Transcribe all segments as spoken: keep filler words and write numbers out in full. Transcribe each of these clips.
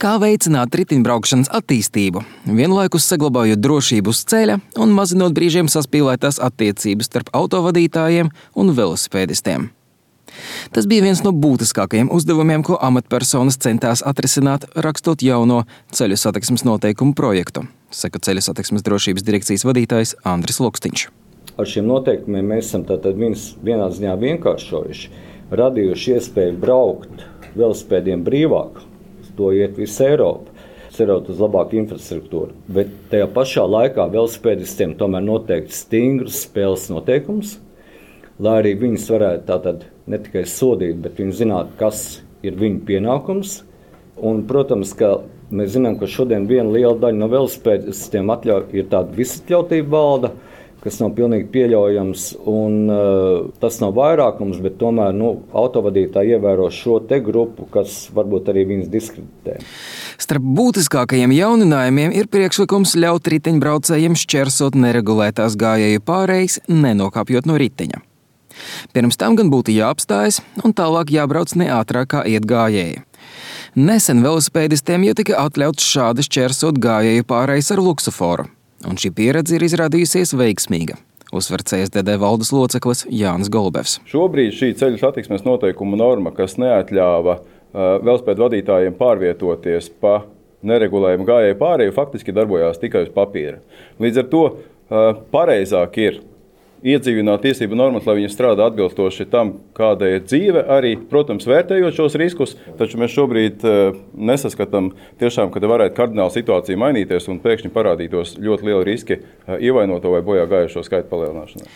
Kā veicināt riteņbraukšanas attīstību, vienlaikus saglabājot drošību uz ceļa un mazinot brīžiem saspīlētās attiecības starp autovadītājiem un velosipēdistiem. Tas bija viens no būtiskākajiem uzdevumiem, ko amatpersonas centās atrisināt, rakstot jauno ceļu satiksmes noteikumu projektu, saka Ceļu satiksmes drošības direkcijas vadītājs Andris Lokstiņš. Ar šiem noteikumiem mēs esam tātad viens, vienā ziņā vienkāršojuši, radījuši iespēju braukt velosipēdiem brīvāk, to iet visa Eiropa, cerot uz labāku infrastruktūru, bet tajā pašā laikā velosipēdistiem tomēr noteikti stingrus spēles noteikumus, lai arī viņus varētu tātad ne tikai sodīt, bet viņi zinātu, kas ir viņu pienākums. Un, protams, ka mēs zinām, ka šodien viena liela daļa no velosipēdistiem atļauj, ir tāda visatļautība valda, kas nav pilnīgi pieļaujams, un uh, tas nav vairākums, bet tomēr nu, autovadītāji ievēro šo te grupu, kas varbūt arī viņus diskreditē. Starp būtiskākajiem jauninājumiem ir priekšlikums ļaut riteņbraucējiem šķērsot neregulētās gājēju pārejas, nenokāpjot no riteņa. Pirms tam gan būtu jāapstājas un tālāk jābrauc ne ātrāk kā iet gājēji. Nesen velosipēdistiem jau tika atļauts šādi šķērsot gājēju pārejas ar luksuforu, un šī pieredze ir izrādījusies veiksmīga, uzsver C S D D valdes loceklis Jānis Golubevs. Šobrīd šī ceļu satiksmes noteikumu norma, kas neatļāva uh, velosipēdu vadītājiem pārvietoties pa neregulējumu gājēju pāreju, faktiski darbojās tikai uz papīra. Līdz ar to uh, pareizāk ir iedzīvināt tiesību normas, lai viņi strādā atbilstoši tam, kāda ir dzīve, arī, protams, vērtējot šos riskus, taču mēs šobrīd uh, nesaskatām tiešām, ka varētu kardināli situācija mainīties un pēkšņi parādītos ļoti lieli riski uh, ievainoto vai bojā gājušo skaitu palielināšanai.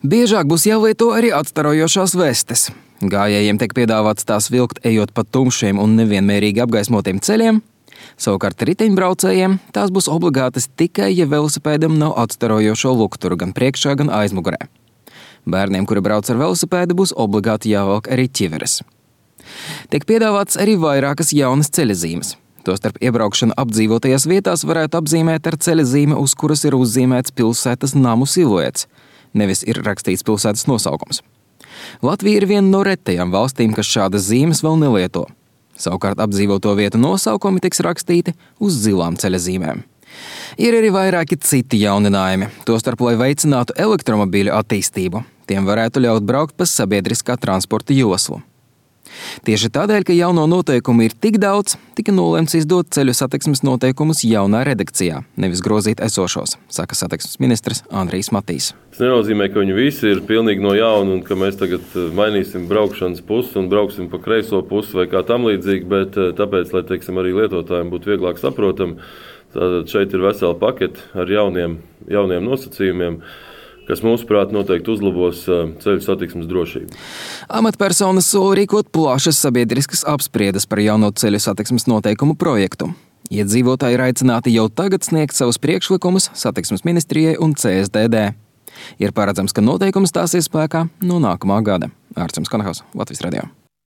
Biežāk būs jālieto arī atstarojošās vestes. Gājējiem tiek piedāvāts tās vilkt ejot pa tumšiem un nevienmērīgi apgaismotiem ceļiem. Savukārt riteņbraucējiem tās būs obligātas tikai, ja velosipēdam nav atstarojošo lukturu gan priekšā, gan aizmugurē. Bērniem, kuri brauc ar velosipēdu, būs obligāti jāvelk arī ķiveres. Tiek piedāvāts arī vairākas jaunas ceļazīmes. Tostarp iebraukšana apdzīvotajās vietās varētu apzīmēt ar ceļazīmi, uz kuras ir uzzīmēts pilsētas namu siluets, nevis ir rakstīts pilsētas nosaukums. Latvija ir viena no retajām valstīm, kas šādas zīmes vēl nelieto. Savukārt apdzīvoto vietu nosaukumi tiks rakstīti uz zilām ceļazīmēm. Ir arī vairāki citi jauninājumi, tostarp, lai veicinātu elektromobīļu attīstību. Tiem varētu ļaut braukt pa sabiedriskā transporta joslu. Tieši tādēļ, ka jauno noteikumu ir tik daudz, tika nolemts izdot ceļu satiksmes noteikumus jaunā redakcijā, nevis grozīt esošos, saka satiksmes ministrs Andrijs Matīs. Tas nenozīmē, ka viņi visi ir pilnīgi no jauna un ka mēs tagad mainīsim braukšanas pusi un brauksim pa kreiso pusi vai kā tam līdzīgi, bet tāpēc, lai teiksim, arī lietotājiem būtu vieglāk saprotam, tātad šeit ir vesela pakete ar jauniem, jauniem nosacījumiem, kas mūsuprāt noteikti uzlabos ceļu satiksmes drošību. Amatpersonas sola rīkot plašas sabiedriskas apspriedes par jauno ceļu satiksmes noteikumu projektu. Iedzīvotāji ir aicināti jau tagad sniegt savus priekšlikumus satiksmes ministrijai un C S D D. Ir paredzams, ka noteikums stāsies spēkā no nākamā gada. Ārčuns Konahaus, Latvijas radio.